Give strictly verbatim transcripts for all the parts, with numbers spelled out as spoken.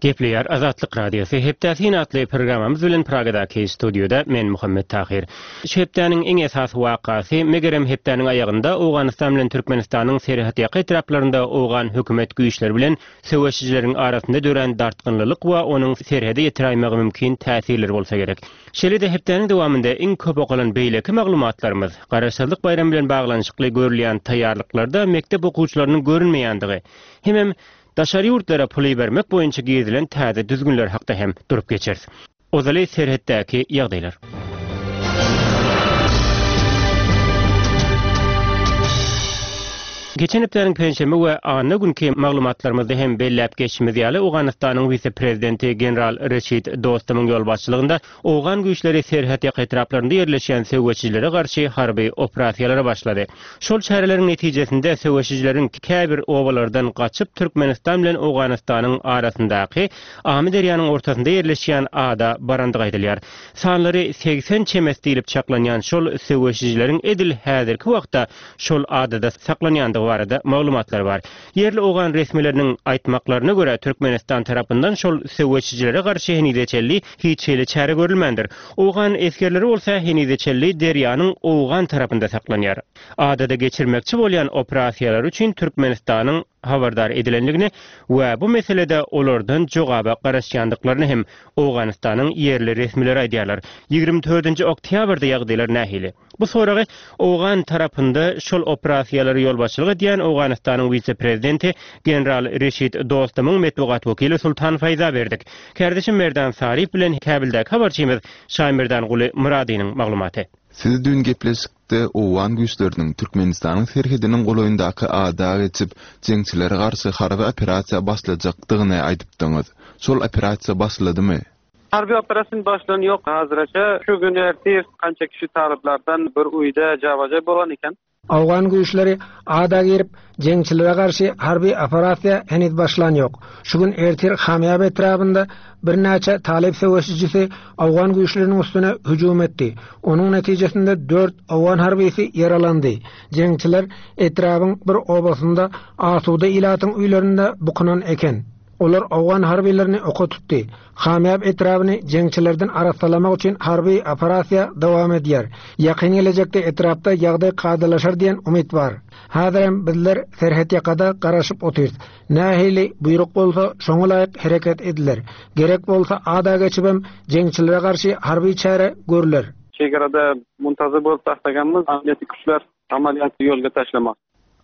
Gepleýär Azatlyk Radiosy Hepdä syn atly programmamyz bilen Pragadaky studioda men Muhammet Tahir. Şu hepdäniň iň esasy wakasy megerem hepdäniň aýagynda Owganystan bilen Türkmenistanyň serhetýaka etraplarynda owgan hökümet güýçleri bilen söweşijileriň arasynda dörän dartgynlylyk we onuň serhede ýetiräýmegi mümkin täsirleri bolsa gerek. Şeýle-de hepdäniň dowamynda iň köp okalan beýleki maglumatlarymyz Garaşsyzlyk baýramy bilen baglanyşykly görülýän taýýarlyklarda mekdep okuwçylarynyň görünmeýändigi hemem daşary ýurtlara pul ibermek boýunça girizilen täze düzgünler hakda hem durup geçeris. Ozaly serhetdäki ýagdaýlar. Geçen hepdäniň penşenbe we anna günki maglumatlarymyzda hem belläp geçişimiz ýaly Owganystanyň wise-prezidenti general Reşid Dostumyň ýolbaşçylygynda owgan güýçleri serhetýaka etraplarynda ýerleşýän söweşijilere garşy harby operasiýalara başlady. Şol çäreleriň netijesinde söweşijileriň käbir obalardan gaçyp Türkmenistan bilen Owganystanyň arasyndaky Amyderýanyň ortasynda ýerleşýän ada barandygy aýdylýar. Sanlary segsen çemesi diýlip çaklanýan şol söweşijileriň edil häzirki wagtda şol adada saklanýandygy barada maglumatlar bar. Ýerli owgan resmileriniň aýtmaklaryna görä Türkmenistan tarapyndan şol söweşijilere garşy henize çenli hiç hili çäre görülmändir. Owgan esgerleri bolsa henize çenli derýanyň owgan tarapynda saklanýar. Adada geçirmekçi bolýan operasiýalar üçin Türkmenistanyň habardar edilenligini we bu meselede olardan jogaba garaşýandyklaryny hem Owganystanyň ýerli resmileri aýdýarlar. Ýigrimi dördünji oktýabrda ýagdaýlar nähili? Bu soragy owgan tarapynda şol operasiýalary ýolbaşçylyk edýän Owganystanyň wise-prezidenti general Reşid Dostumyň metbugat wekili Sultan Faýza berdik. Kärdeşim Merdan Saryp bilen Käbildäki habarçymyz Şaýmerdanguly Myradynyň maglumaty. Siz düýn gepleşikde owgan güýçleriniň Türkmenistanyň serhediniň golaýyndaky ada geçip, jeňçilere garşy harby operasiýa başlajakdygyny aýdypdyňyz. Şol operasiýa başladymy? Harby operasiýa başlan ýok hazırça. Şu gün ertir kança kişi talyplardan bir uýda jawaja bolan eken. Owgan güýçleri ada girip, jeňçilere garşy harby operasiýa heniz başlan ýok. Şu gün ertir Hamýab etrabynda birnäçe talyp söweşijisi owgan güýçleriniň üstüne hüjüm etdi. Onuň netijesinde dört owgan harbysy ýaralandy. Jeňçiler etrabyň bir obasynda asuda ilatyň öýlerinde bukunan eken. Olar owgan harbylaryny oka tutdy. Hamýab etrabyny jeňçilerden arassalamak üçin harby operasiýa dowam edýär. Ýakyn gelejekde etrapda ýagdaý kadalaşar diýen umyt bar. Häzirem bizler serhetýakada garaşyp otyrys. Nähili buýruk bolsa şoňa laýyk hereket ediler. Gerek bolsa ada geçibem jeňçilere garşy harby çäre görüler. Çegarada muntazir bolup taşlaganymyz amniýetli güýçler amaliyatı ýolga taşlamak.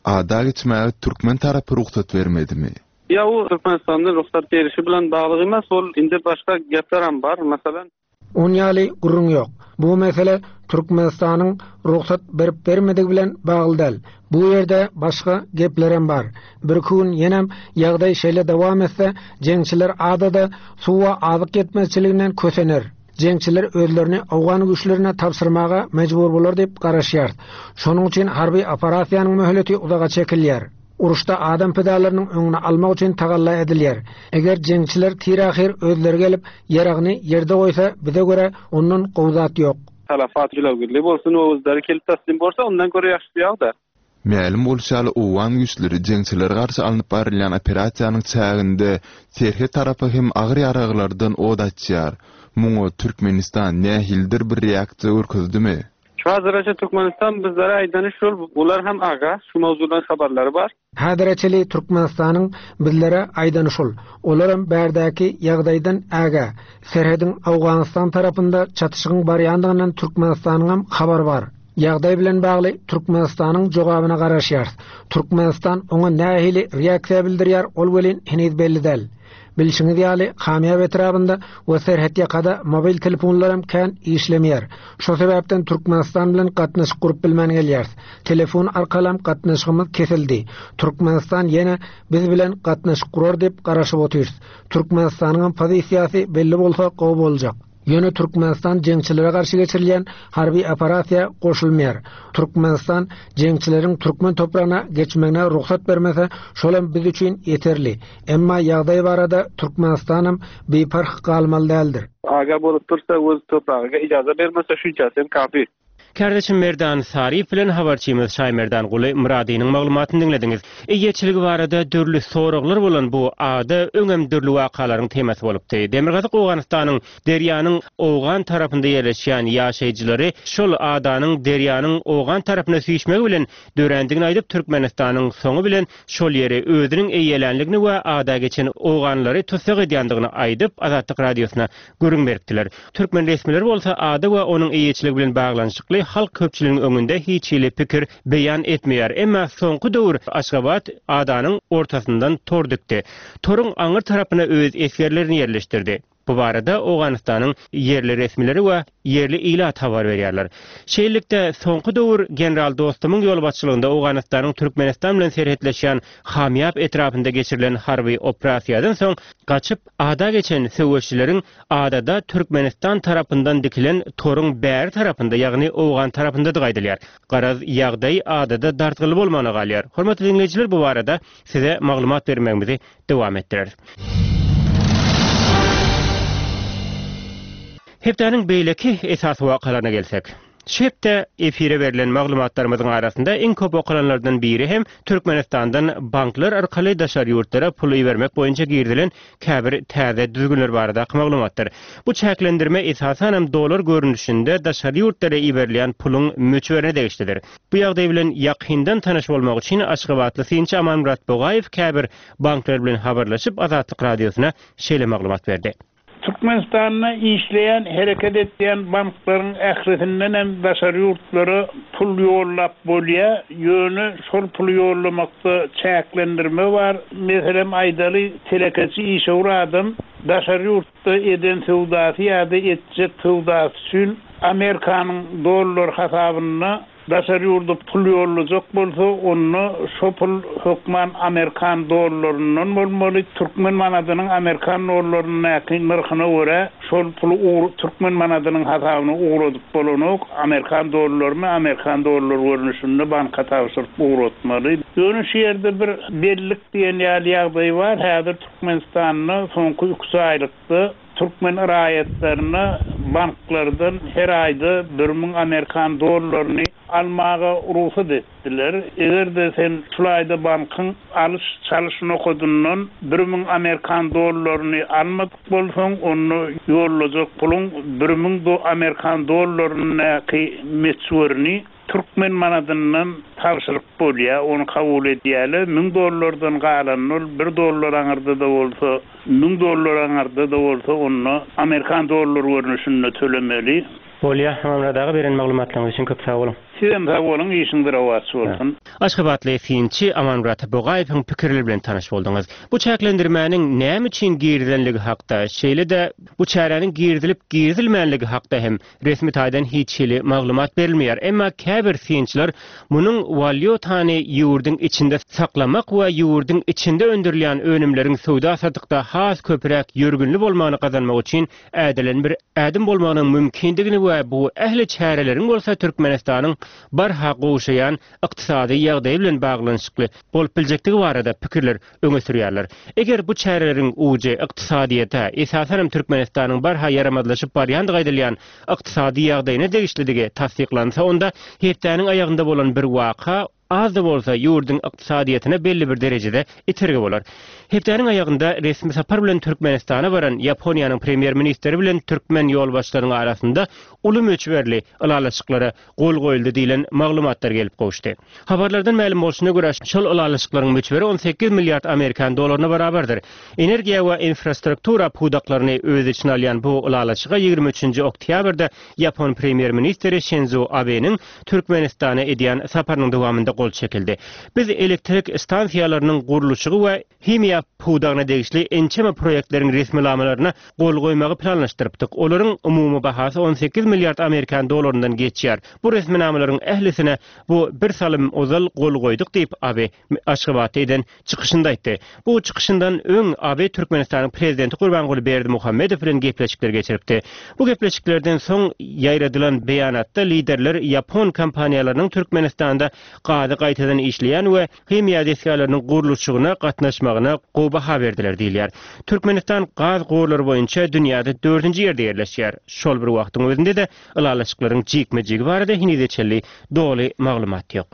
Ada geçmäge türkmen tarapy rugsat bermedimi? Ya o Türkmenistan'da ruhsat berişi bilen bagly emas, ol indi başga gepler hem bar. Masalan, On ýaly gürrüň ýok. Bu mesele Türkmenistanyň ruhsat berip bermedigi bilen bagly däl. Bu ýerde başga gepler hem bar. Bir gün ýenem ýagdaý şeýle dowam etse, jeňçiler adada suwa azyk ýetmezçiliginden kösener. Jeňçiler özlerini owgan güýçlerine tabşyrmaga mejbur bolar diýip garaşýar. Şonuň üçin harby operasiýanyň möhleti uzaga çekilýär. Uruşda adam pidalarynyň öňüni almak üçin tagalla edilýär. Eger jeňçiler tir-ahyr özleri gelip ýaragyny ýerde goýsa, bize görä ondan gowy zat ýok. Talafat jilawgirli bolsun, özleri gelip teslim bolsa, ondan görä ýagşy ýagda. Mälim bolşy ýaly owgan güýçleri jeňçilere garşy alnyp barylýan operasiýanyň çäginde serhet tarapy hem agyr ýaraglardan od açýar. Muňa Türkmenistan nähilidir bir reaksiýa görkezdimi? Şu hazırça Türkmenistan bizlere aýdany şol, bular hem aga, şu mowzudan habarlary bar. Häzirçeli Türkmenistanyň bizlere aýdany şol. Olaram bärdäki ýagdaýdan ägä. Serhediň Owganystan tarapynda çatyşygyň barýandygyndan Türkmenistanyň hem habary bar. Ýagdaý bilen bagly Türkmenistanyň jogabyna garaşýarys. Türkmenistan oňa nähili reaksiýa bildirýär, ol welin heniz belli däl. Bilşiňiz ýaly, Hamýab etrabynda we serhetýakada mobil telefonlar hem kän işlemeýär. Şo sebäpden Türkmenistan bilen gatnaşyk gurup bilmän gelýäris. Telefon arkaly hem gatnaşygymyz kesildi. Türkmenistan ýene biz bilen gatnaşyk gurar diýip garaşyp otyrys. Türkmenistanyň hem pozisiýasy belli bolsa gowy boljak. Ýöne Türkmenistan jeňçilere garşy geçirilýän harby operasiýa goşulmaýar. Türkmenistan jeňçileriň türkmen topragyna geçmegine rugsat bermese, şol hem biz üçin ýeterli. Emma ýagdaý barada Türkmenistanam biparh galmaly däldir. Aga bolup dursa, öz topragyna ijaza bermese, şunça hem kafi. Kärdeşim Merdan Saryýew bilen habarçymyz Şaýmerdan Guly Myradynyň maglumatyny diňlediňiz. Eýeçiligi barada dürli soraglar bolan bu ada öňem dürli wakalaryň temasy bolupdy. Demirgazyk Owganystanyň derýanyň Owgan tarapynda ýerleşýän ýaşaýjylary şol adanyň derýanyň Owgan tarapyna süýşmegi bilen dörändigini aýdyp Türkmenistanyň soňy bilen şol ýeri özüniň eýelänligini we ada geçen Owganlary tussag edýändigini aýdyp Azatlyk radiosyna gürrüň beripdiler. Türkmen resmileri bolsa ada we onuň eýeçiligi bilen baglanyşykly halk köpçüliginiň öňünde hiç hili pikir beýan etmeýär. Emma soňky döwür Aşgabat adanyň ortasyndan tor dikdi. Toruň aňyr tarapyna öz esgerlerini ýerleşdirdi. Bu barada Owganystanyň ýerli resmileri we ýerli ilat habar berýärler. Şeýlelikde soňky döwür General Dostumyň ýolbaşçylygynda Owganystanyň Türkmenistan bilen serhetleşýän Hamýap etrapynda geçirilen harby operasiýadan soň gaçyp ada geçen söweşçileriň adada Türkmenistan tarapyndan dikilen toruň bäri tarapynda, ýagny Owgan tarapynda gaýdylýar. Garaz ýagdaý adada dartgynly bolmagyna galýar. Hormatly dinleýjiler, bu barada size maglumat bermegimizi dowam etdireris. Hepdäniň beýleki esasy wakalaryna gelsek. Şu hepde efire berlen maglumatlarymyzyň arasynda iň köp okalanlardan biri hem Türkmenistandan banklar arkaly daşary ýurtlara pul ibermek boýunça girizilen käbir täze düzgünler baradaky maglumatdyr. Bu çäklendirme esasanam dolar görnüşinde daşary ýurtlara iberilýän puluň möçberine degişlidir. Bu ýagdaý bilen ýakyndan tanyş bolmak üçin Aşgabatly synçy Amanmyrat Bogaýew käbir banklar bilen habarlaşyp Azatlyk radiosyna şeýle maglumat berdi. Türkmenistanda işleýän, hereket etýän banklaryň ählisinden hem daşary ýurtlara pul ýollap bolýar. Ýöne şol puly ýollamakda çäklendirme bar. Meselem aýdaly telekeçi işewür adam daşary ýurtda eden söwdasy ýa-da etjek söwdasy üçin Amerikanyň dollar hasabynda daşary ýurda pul ýollajak bolsa, onda şo pul hökman Amerikan dollaryndan bolmaly. Türkmen manadynyň Amerikan dollaryndaky nyrhyna görä şol puly ugur Türkmen manadynyň hasabyna ugradyp bolanok. Amerikan dollaryny Amerikan dollar görnüşinde banka tabşyryp ugratmaly. Ýöne şu ýerde bir bellik diýen ýaly ýagdaý bar. Häzir Türkmenistanda soňky üç aýlykda Türkmen raýatlaryna banklardan her aýda bir müň Amerikan dollaryny almaga rugsat etdiler. Eger-de sen şul aýda bankyň alyş çalyş nokadyndan bir müň Amerikan dollaryny almadyk bolsaň, onda ýollajak puluň bir müň do Amerikan dollaryndaky möçberini Türkmen manadyndan tabşyryp bolýar, ony kabul edýärler. Müň dollardan galan ol bir dollar aňyrda da bolsa, müň dollar aňyrda da bolsa, onda Amerikan dollar görnüşinde tölemeli. Bolýar, Amanmyrat aga beren maglumatlaryňyz üçin köp sag boluň. Sizem sag boluň, işiňiz rowaç bolsun. Aşgabatly synçy Amanmyrat Bogaýewiň pikirleri bilen tanyş bolduňyz. Bu çäklendirmäniň näme üçin girizilenligi hakda, şeýle-de bu çäräniň girizilip girizilmänligi hakda hem resmi taýdan hiç hili maglumat berilmeýär. Emma käbir synçylar munuň walýutany ýurduň içinde saklamak we ýurduň içinde öndürilýän önümleriň söwda satykda has köpräk ýörgünli bolmagyny gazanmak üçin ädilen bir ädim bolmagynyň mümkindigini we bu ähli çäreleriň bolsa Türkmenistanyň barha gowşaýan ykdysady ýagdaýy bilen baglanyşykly bolup biljekdigi barada pikirler öňe sürýärler. Eger bu çäreleriň ujy ykdysadyýete, esasanam Türkmenistanyň barha ýaramazlaşyp barýandygy aýdylýan ykdysady ýagdaýyna degişlidigi tassyklansa, onda hepdäniň aýagynda bolan bir waka az da bolsa ýurduň ykdysadyýetine belli bir derejede itergi bolar. Hepdäniň aýagynda resmi sapar bilen Türkmenistana baran Ýaponiýanyň premýer-ministri bilen türkmen ýolbaşçylarynyň arasynda uly möçberli ylalaşyklara gol goýuldy diýlen maglumatlar gelip gowuşdy. Habarlardan mälim bolşuna görä, şol ylalaşyklaryň möçberi on sekiz milliard Amerikan dolaryna barabardyr. Energiýa we infrastruktura pudaklaryny öz içine alýan bu ylalaşyga ýigrimi üçünji oktýabrda Ýapon premýer-ministri Şinzo Abeniň Türkmenistana edýän saparynyň dowamynda gol çekildi. Biz elektrik stansiýalarynyň gurluşygy we himiýa pudagyna degişli ençeme proýektleriň resminamalaryna gol goýmagy planlaşdyrypdyk. Olaryň umumy bahasy on sekiz milliard Amerikan dolaryndan geçýär. Bu resminamalaryň ählisine bu bir salym ozal gol goýduk diýip Abe Aşgabatda eden çykyşynda aýtdy. Bu çykyşyndan öň Abe Türkmenistanyň prezidenti Gurbanguly Berdimuhamedow bilen gepleşikler geçiripdi. Bu gepleşiklerden soň ýaýradylan beýanatda liderler Ýapon kompaniýalarynyň Türkmenistanda gazy gaýtadan işleýän we himiýa desgalarynyň gurluşygyna gatnaşmagyna gowy baha berdiler diýilýär. Türkmenistan gaz gorlary boýunça dünýäde dördünji ýerde ýerleşýär. Şol bir wagtyň özünde-de ylalaşyklaryň jikme-jigi barada henize çenli doly maglumat ýok.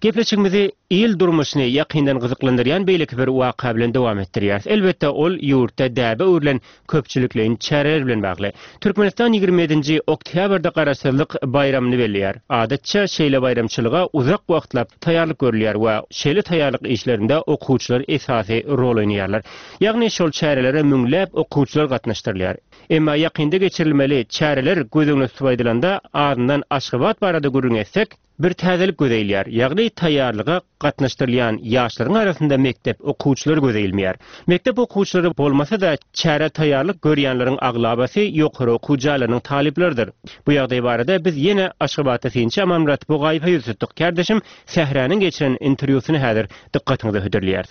Gepleşigimizi il durmuşyny ýakyndan gyzyklandyrýan beýleki bir waka bilen dowam etdirýäris. Elbetde ol ýurtda däbe öwrülen köpçülikleýin çäreler bilen bagly. Türkmenistan ýigrimi ýedinji oktýabrda garaşsyzlyk baýramyny belleýär. Adatça şeýle baýramçylyga uzak wagtlap taýýarlyk görülýär we şeýle taýýarlyk işlerinde okuwçylar esasy rol oýnaýarlar. Ýagny şol çärelere müňläp okuwçylar gatnaşdyrylýar. Emma ýakynda geçirilmeli çäreler göz öňüne tutup aýdylanda azyndan Aşgabat barada gürrüň etsek, bir täzelik göze ilýär. Ýagny taýýarlyga gatnaşdyrylýan ýaşlaryň arasynda mekdep okuwçylary göze ilmeýär. Mekdep okuwçylary bolmasa-da çäre taýýarlyk görýänleriň aglabasy ýokary okuw jaýlarynyň talyplarydyr. Bu ýagdaý barada biz ýene Aşgabatda synçy Amanmyrat Bugaýewe ýüz tutduk. Kardeşim Sähräniň geçiren interwýusyny häzir dykgatyňyza hödürleýär.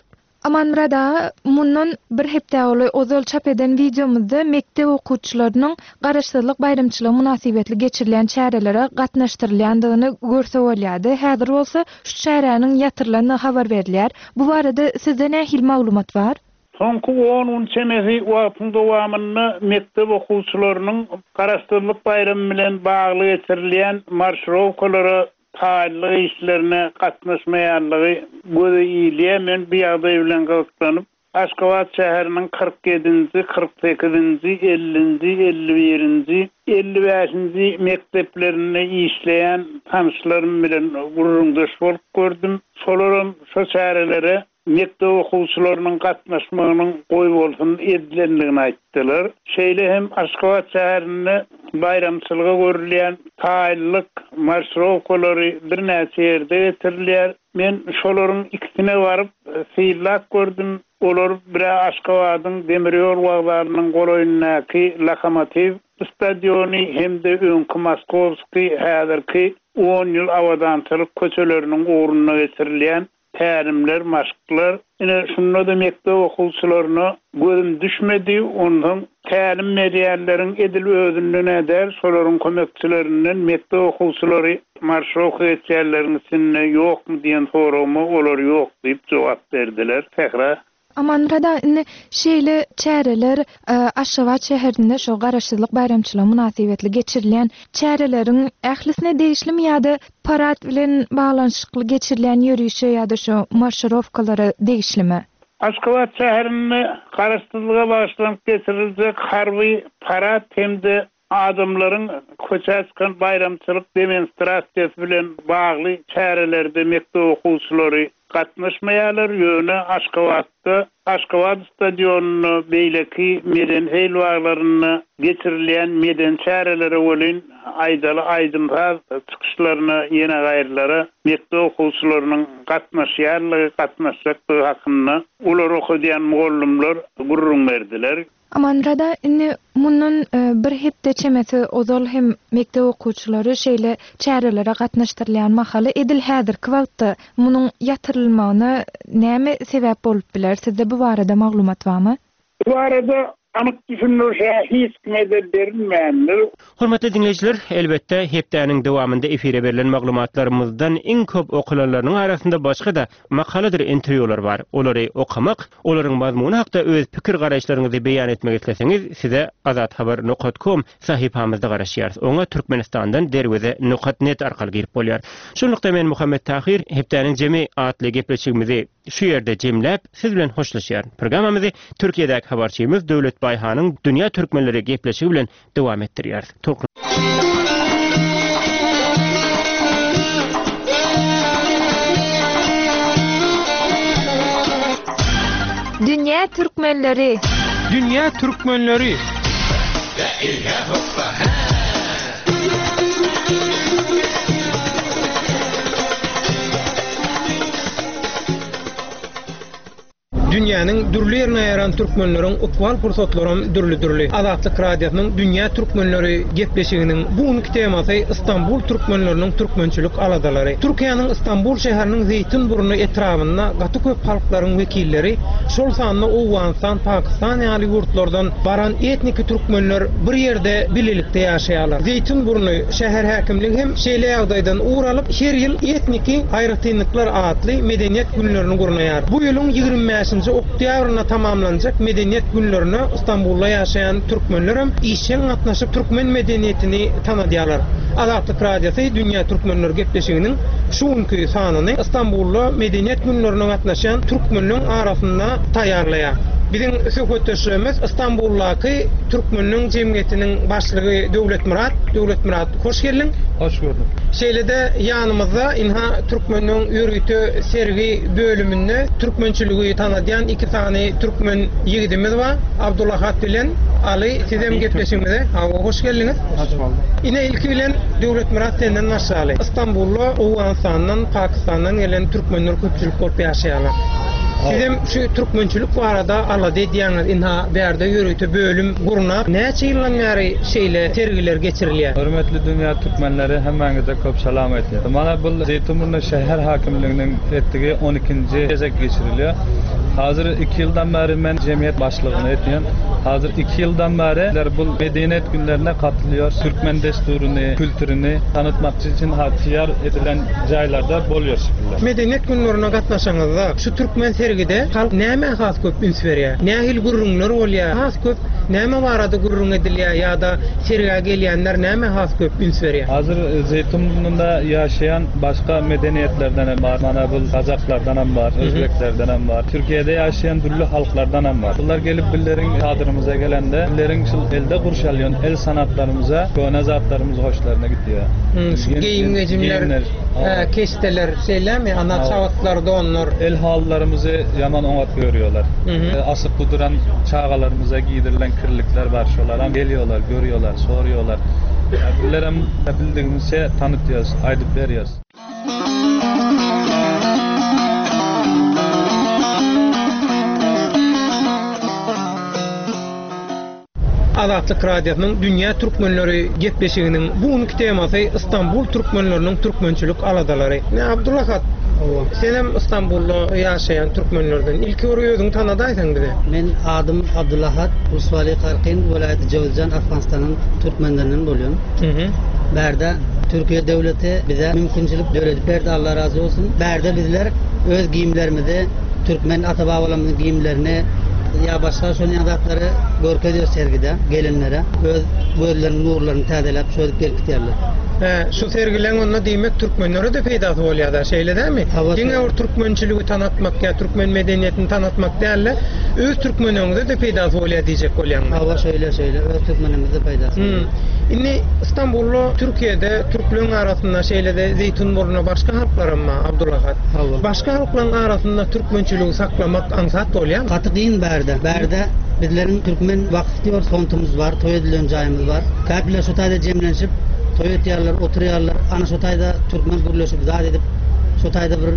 Amanmyrat aga, mundan bir hepde ozal ozal çap eden wideomyzda mekdep okuwçylarynyň garaşsyzlyk baýramçylygy mynasybetli geçirilen çärelere gatnaşdyrylýandygyny görse bolýardy. Häzir bolsa şu çäräniň ýatyrylanyny habar berilýär. Bu barada sizde nähili maglumat bar? Soňky on gün çemesi wagtyň dowamynda mekdep okuwçylarynyň garaşsyzlyk baýramy bilen bagly geçirilýän marşrowkalara taýýarlyk işlerine gatnaşmaýanlygy göze ilýär. Men bu ýagdaý bilen gyzyklanyp, Aşgabat şäheriniň kyrk ýedinji, kyrk sekizinji, ellinji, elli birinji, elli bäşinji mekdeplerinde işleýän tanışlarym bilen gürrüňdeş bolup gördüm. Şolaram şo çärelere mekdep okuwçylarynyň gatnaşmagynyň goý bolsun edilendigini aýtdylar. Şeýle hem Aşgabat şäherinde baýramçylyga görülýän taýýarlyk marşrowkalary birnäçe ýerde getirilýär. Men şolaryň ikisine baryp synlap gördüm. Olar bire Aşgabadyň demir ýol wokzalynyň golaýyndaky Lokomotiv stadiony hem-de öňki Moskowski häzirki on ýyl abadançylyk köçeleriniň ugrunda geçirilýän tälimler, maşklar. Ine şunda da mekdep okuwçylaryna gözüm düşmedi. Ondan tälim berýänleriň edil özünden äder, şolaryň kömekçilerinden mekdep okuwçylary marşrowka geçýänleriň içinde ýokmy diýen soragyma olar ýok diýip jogap berdiler. Sähra. Amanmyrat aga, indi şeýle çäreler, e, Aşgabat şäherinde şo garaşsyzlyk baýramçylygy mynasybetli geçirilýän çäreleriň ählisine degişlimi ýa-da parad bilen baglanyşykly geçirilýän ýörişe ýa-da şo marşrowkalara degişlimi? Aşgabat şäherinde garaşsyzlyga bagyşlanyp geçiriljek harby parad hem-de adamlaryň köçä çykan baýramçylyk demonstrasiýasy bilen bagly çärelerde mekdep okuwçylary gatnaşmaýarlar. Ýöne Aşgabatda Aşgabat stadionynda beýleki medeni heýlwaglarynda geçirilýän medeni çärelere welin aýdaly aýdym-saz çykyşlaryna ýene gaýrylara mekdep okuwçylarynyň gatnaşýarlygy, gatnaşjakdygy hakynda olar okadýan mugallymlar gürrüň berdiler. Amanmyrat aga, indi mundan, e, bir hepde çemesi ozal hem mekdep okuwçylary şeýle çärelere gatnaşdyrylýan mahaly edil häzirki wagtda munuň ýatyrylmagyna näme sebäp bolup biler? Sizde bu barada maglumat barmy? Bu barada anyk düşündirişe hiç kime-de berilmändir. Hormatly dinleýjiler, elbetde hepdäniň dowamynda efire berlen maglumatlarymyzdan iň köp okulanlarynyň arasynda başga-da makaladyr interwýular bar. Olary okamak, olaryň mazmuny hakda öz pikir garaýyşlaryňyzy beýan etmek isleseňiz, size azathabar nokta com sahypamyzda garaşýarys. Oňa Türkmenistandan derweze nokta net arkaly girip bolýar. Şunlukda men Muhammet Tahir hepdäniň jemi atly gepleşigimizi şu ýerde jemläp, siz bilen hoşlaşýaryn. Programmamyzy Türkiýedäki habarçymyz Döwlet Baýhanyň Dünýä Türkmenleri gepleşigi bilen dowam etdirýäris. Tolkun Dünýä Türkmenleri. Dünýä Türkmenleri. Dünýäniň dürli ýerine ýaran türkmenleriň ykbal pursatlaram dürli-dürli. Azatlyk Radiosynyň Dünýä türkmenleri gepleşiginiň bu günki temasy Istanbul türkmenleriniň türkmençilik aladalary. Türkiýäniň Istanbul şäheriniň Zeýtinburnu etrabynda gaty köp halklaryň wekilleri, şol sanda Owganystan, Pakistan ýaly ýurtlardan baran etniki türkmenler bir ýerde bilelikde ýaşaýarlar. Zeýtinburnu şäher häkimligi hem şeýle ýagdaýdan ugur alyp, her ýyl etniki aýratynlyklar atly medeniýet günlerini gurnaýar. Bu ýylyň ýigrimi bäşinji oktýabrynda tamamlanjak medeniýet günlerine Istanbulda ýaşaýan türkmenler hem işjeň gatnaşyp türkmen medeniýetini tanadýarlar. Azatlyk Radiosy Dünýä Türkmenleri gepleşiginiň şu günki sanyny Istanbulda medeniýet günlerine gatnaşan türkmenleň arasynda taýýarlaýar. Biziň söhbetdeşlerimiz Istanbuldaky Türkmenleň jemgyýetiniň başlygy Döwletmyrat. Döwletmyrat, hoş geldiň. Hoş gördük. Şeýle-de ýanymyzda inha Türkmenleň ýörite sergi bölüminde türkmençiligi tanadýan iki sany türkmen ýigidimiz bar. Abdulahat bilen Ali, sizem gepleşigimize hawa hoş geldiňiz. Hoş bulduk. Ine ilki bilen Döwletmyrat senden başlaly. Istanbulda Owganistandan, Pakistandan gelen türkmenler köpçülik bolup ýaşaýarlar. Sizem şu türkmençilik barada alada edýäňiz. Inha bärde ýörite bölüm gurnap, näçe ýyldan bäri şeýle sergiler geçirilýär? Hörmetli Dünýä Türkmenleri, hemmäňize köp salam aýtýar. Mana bu Zeýtinburnu şäher hakimliginiň etdigi on ikinji gezek geçirilýär. Hazır iki ýyldan bäri men jemgyýet başlygyny etýän. Hazır iki ýyldan bäri bu medeniýet günlerine katylýar. Türkmen desturuny, kültürüni tanıtmak üçin taýýar edilen jaýlarda bolýar şekilde. Medeniýet günlerine gatnaşaňyzda şu türkmen sergide halk näme has köp üns berýär? Nähili gürrüňler bolýar? Has köp näme barada gürrüň edilýär ýa-da sergä gelýänler näme has köp üns berýär? Hazır Zeýtinburnunda ýaşaýan başga medeniýetlerden hem bar. Mana bu Kazaklardan hem bar, Özbeklerden hem bar. Türkiýede ýaşaýan dürli halklardan hem bar. Bular gelip billeriň çadyrymyza gelende, billeriň şul elde gurşalýan el sanatlarymyza, köne zatlarymyz hoşlaryna gitýär. Hmm, şu Gen- geýim-gejimler, geýimler, e, keşteler, şeýlemi? Ana Hawa. çabatlar, donlar. El halylarymyzy ýaman oňat görýärler. Hı-hı. E, asyp duran çagalarymyza giydirilen kirlikler bar. Şolar hem geliyorlar, görüyorlar, soruyorlar. Ya billerem bildiğimizce tanıtıyoruz, aýdyp berýäs. Azatlyk Radiosynyň Dünýä Türkmenleri gepleşiginiň bu günki temasy Istanbul türkmenleriniň türkmençilik aladalary. Ne Abdulahat, sen hem Istanbulda ýaşaýan türkmenlerden ilki bir özüňi tanadaýsaň bize. Men adım Abdulahat, Usvali Karkin, vilayeti Cevizcan, Afganistan'ın Türkmenlerinden bolýan. Hı-hı. Bärde Türkiye devleti bize mümkinçilik döredip berdi, Allah razı olsun. Bärde bizler öz giyimlerimizi, Türkmen ata-babalarymyzyň giyimlerini ya başga şonuň zatlary görkezýär sergide gelenlere. Öz gözlerinin nurlaryny täzeläp şöyle gelip gidýärler. He, şu sergileň onda diýmek türkmenlere de peýdasy bolýar da, şeýle dämi? Hawa, Diňe bir türkmençiligi tanatmak ýa türkmen medeniýetini tanatmak däl-de, öz türkmeniňize de peýdasy bolýar diýjek bolýaňmy? Hawa, şeýle, şeýle, öz türkmenimize peýdasy Hmm. bolýar. Indi Istanbulda, Türkiýede türkleriň arasynda şeýle de Zeýtinburnu başga halklaram bar, Abdulahat. Hawa. Başga halklaryň arasynda türkmençiligi saklamak aňsat bolýarmy? Gaty kyn bärde. Bärde bizleriň türkmen waqf diýor fontumuz bar, toý edilen jaýymyz bar. Käpler şu taýda jemlenişip toý etýärler, oturýarlar. Ana şu taýda türkmen gürleşip zat edip, şu taýda bir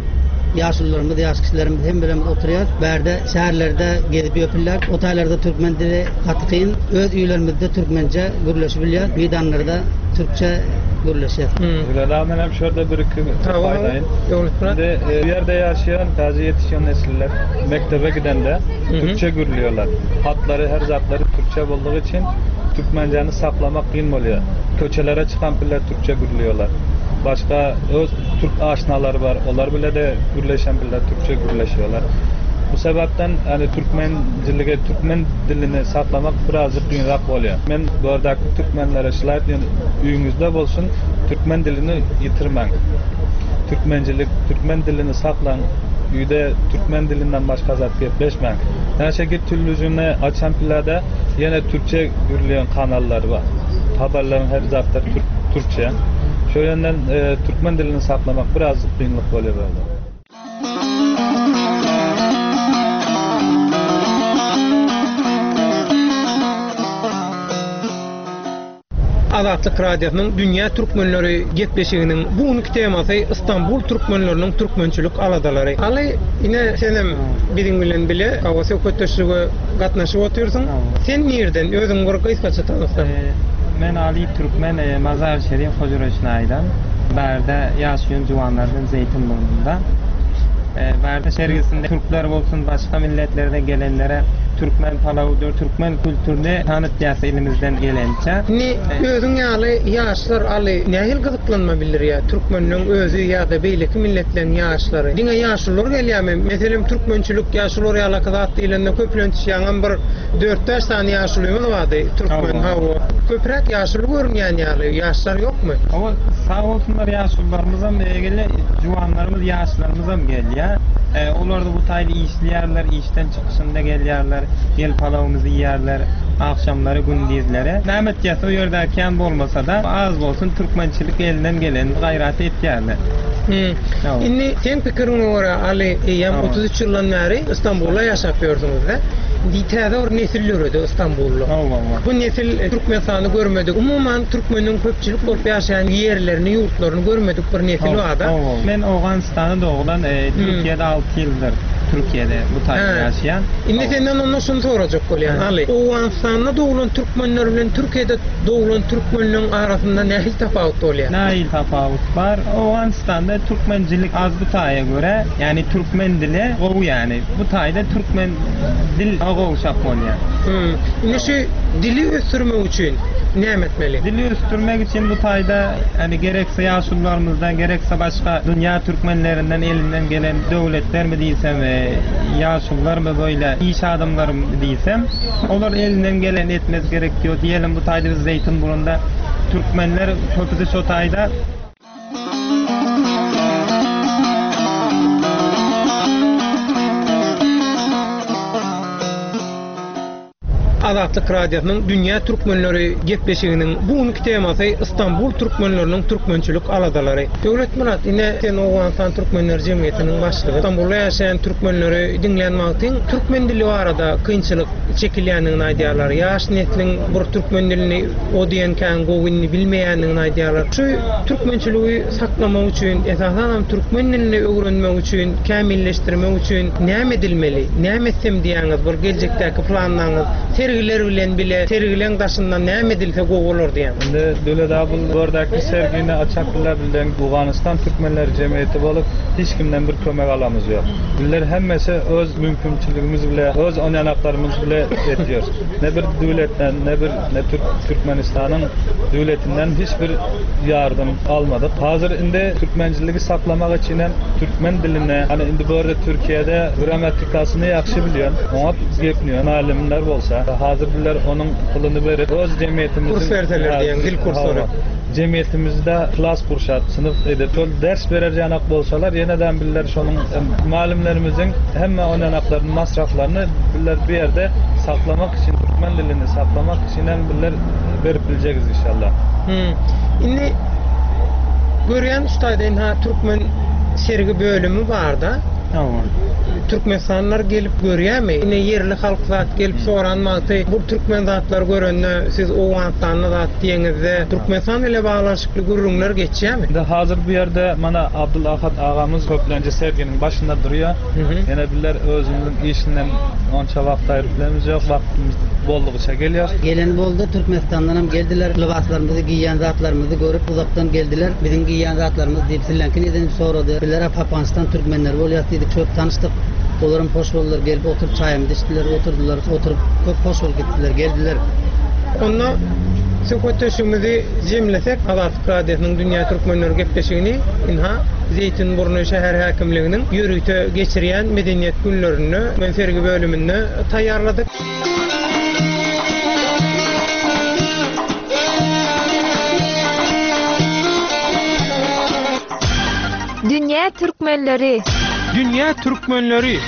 ýaşulularymyz, ýaş kişilerimiz hem bilen oturýar. Bärde şäherlerde gezip ýöpürler. O taýlarda türkmen dili gaty kyn. Öz öýlerimizde türkmence gürleşip bilýär. Meýdanlarda türkçe gürleşýär. Hmm. Öyle men hem şurada bir iki Tamam. faydayım. Döwletmyrat. Şimdi, e, bir yerde yaşayan, taze yetişen nesiller mektebe gidende Hı hı. Türkçe gürlüyorlar. Hatları, her zatları Türkçe olduğu için Türkmenceni saklamak kıyın oluyor. Köçelere çıkan piller Türkçe gürlüyorlar. Başka öz Türk aşinaları var. Onlar bile de gürleşen piller Türkçe gürleşiyorlar. Bu sebepten yani Türkmencilige, Türkmen dilini saklamak birazcık kıyınrak oluyor. Men bu aradaki Türkmenlere şılayt yani üyünüzde olsun Türkmen dilini yitirmen. Türkmencilik, Türkmen dilini saklan, üyde Türkmen dilinden başka zat gepleşmen. Yani şekil televizyonu açan pillerde yine Türkçe gürleyen kanallar var. Haberlerin her zatları Türk, Türkçe. Şu yönden, e, Türkmen dilini saklamak birazcık kıyınlık oluyor böyle. Azatlyk Radiosynyň Dünýä Türkmenleri gepleşiginiň bu günki temasy Istanbul türkmenleriniň türkmençilik aladalary. Aly, ine senem biziň bilen bile hawa söhbetdeşlige gatnaşyp otyrsyň. Sen nirden? Özüň bir gysgaça tanyssaň. Men Ali Türkmen e, Mazar Şerif Hocaroşnay'dan. Bärde yaşayan civanlardan Zeytinburnu'nda. E, Bärde sergisinde Türkler olsun başka milletlerden gelenlere Türkmen palawudyr, Türkmen kültürünü tanıtýas elimizden gelençe. Ni özüň ýaly ýaşlar aly nähili gyzyklanma bildirýär? Türkmenleň özi ýa-da beýleki milletleň ýaşlary. Diňe ýaşlylar gelýärmi? Meselem türkmençilik ýaşlylar ýaly zat diýlende köplenç ýaňam bir dört-bäş sany ýaşlymyz bardy. Türkmen hawa. Köpräk ýaşly görünýän ýaly ýaşlar ýokmy? Hawa, sag bolsunlar ýaşlylarymyzam gelýär, juwanlarymyz, ýaşlarymyzam gelýär. E, olar da bu taýly işleýärler, işden çykyşynda gelýärler, gel palawymyzy iýerler, akşamlary gündizlere. Nämet ýasa o ýerde kän bolmasa da az bolsun türkmençilik elinden gelen gaýrat etýärler. Hmm. Indi sen pikiriňe görä Ali eýýäm Hawa. otuz üç ýyldan bäri Istanbulda ýaşap ýörsüňiz-de. Indi täze bir nesil ýöredi Istanbulda. Hawa, hawa. Bu nesil Türkmenistany görmedik. Umuman türkmeniň köpçülik bolup ýaşaýan ýerlerini, ýurtlaryny görmedik bir nesil barda. Hawa. Men Owganystanda doglan, e, Türkiýede alty ýyldyr Türkiýede bu taýda ýaşaýan. Indi senden ondan şunu sorajak bolýan. Ali, Owganystanda doglan türkmenler bilen Türkiýede doglan türkmenlerin arasynda nähili tapawut bolýar? Nähili tapawut bar? Owganystanda türkmencilik az bu taýa görä, ýani türkmen dili gowy ýani. Bu taýda türkmen dil gowşak bolýar. Hmm. Indi şu dili ösdürmek üçin näme etmeli? Dili ösdürmek üçin bu taýda hani gerekse ýaşulularymyzdan, gerekse başga dünýä türkmenlerinden elinden gelen döwletler mi diýsem, e, ýaşulular mı böyle iş adamları mı diýsem, olar elinden gelen etmez gerek diyor. Diyelim bu taýda biz Zeytinburnu'nda Türkmenler köpüsü şu taýda. Azatlyk Radiosynyň Dünýä Türkmenleri gepleşiginiň bu günki temasy Istanbul türkmenleriniň türkmençilik aladalary. Döwlet Murat, ine sen Owganystan Türkmenler Jemgyýetiniň başlygy. Istanbulda ýaşaýan türkmenleri diňlän wagtyň türkmen dili barada kynçylyk çekilýändigini aýdýarlar. Ýaş nesliň bir türkmen dilini o diýen kän gowyny bilmeýändigini aýdýarlar. Şu türkmençiligi saklamak üçin, esasan hem türkmen dilini öwrenmek üçin, kämilleşdirmek üçin näme edilmeli? Näme etsem diýýäňiz, bir geljekdäki planlaryňyz, sergiler bilen bile, sergileň daşyndan näme edilse gowy bolar diýen. Indi Döwlet abi burdaki sergini açaklar bilen Owganystan Türkmenler Cemiyeti bolup hiç kimden bir kömek alamız yok. Bizler hemmesi öz mümkünçiligimiz bile, öz oynanaklarımız bile etiyor. Ne bir devletten, ne bir ne Türk Türkmenistan'ın devletinden hiçbir yardım almadık. Hazır indi Türkmenciliği saklamak için hem Türkmen diline, hani indi bu arada Türkiye'de gramatikasını yaxşı biliyorsun. Ona gepniyor, alimler bolsa. Hazır bizler onun pulunu verip öz cemiyetimizin Kurs verseler diyen, dil kursları. Hawa. Cemiyetimizde klas kurşat, sınıf edip, şol ders bereceğin bolsalar, yeniden bizler şonun malimlerimizin hemme oynanaklarının masraflarını bizler bir yerde saklamak için, Türkmen dilini saklamak için hem bizler verip bileceğiz inşallah. Hmm. Indi görýän ustayda ha Türkmen sergi bölümü bar da. Hawa. Türkmenistanlar gelip görýärmi? Ine ýerli halk zat gelip soran wagty bu türkmen zatlar görende siz Owganystanly zat diýeňizde Türkmenistan ile baglanşykly gürrüňler geçýärmi? Indi hazır bu yerde mana Abdul Ahad ağamız köplenje serginin başında duruyor. Yine bizler özümüzün işinden onça vakt ayırıp bilemiz yok. Vaktimiz bollukça geliyor. Gelen boldy Türkmenistandan hem geldiler. Libaslarymyzy giýen zatlarymyzy görüp uzaktan geldiler. Biziň giýen zatlarymyz diýip sillenkin edinip sorady. Bizler Afganistan türkmenleri bolýar diýdik, çok tanıştık. Olaryň hoş boldular, gelip oturup çaýymyzy içdiler, oturdular, oturup köp hoş bolup gitdiler, geldiler. Onda söhbetdeşligimizi jemlesek, Azatlyk Radiosynyň Dünýä Türkmenleri gepleşigini inha Zeytinburnu şäher häkimliginiň ýörite geçirýän medeniýet günlerinde men sergi bölüminde taýýarladyk. Dünýä Türkmenleri. Dünýä Türkmenleri.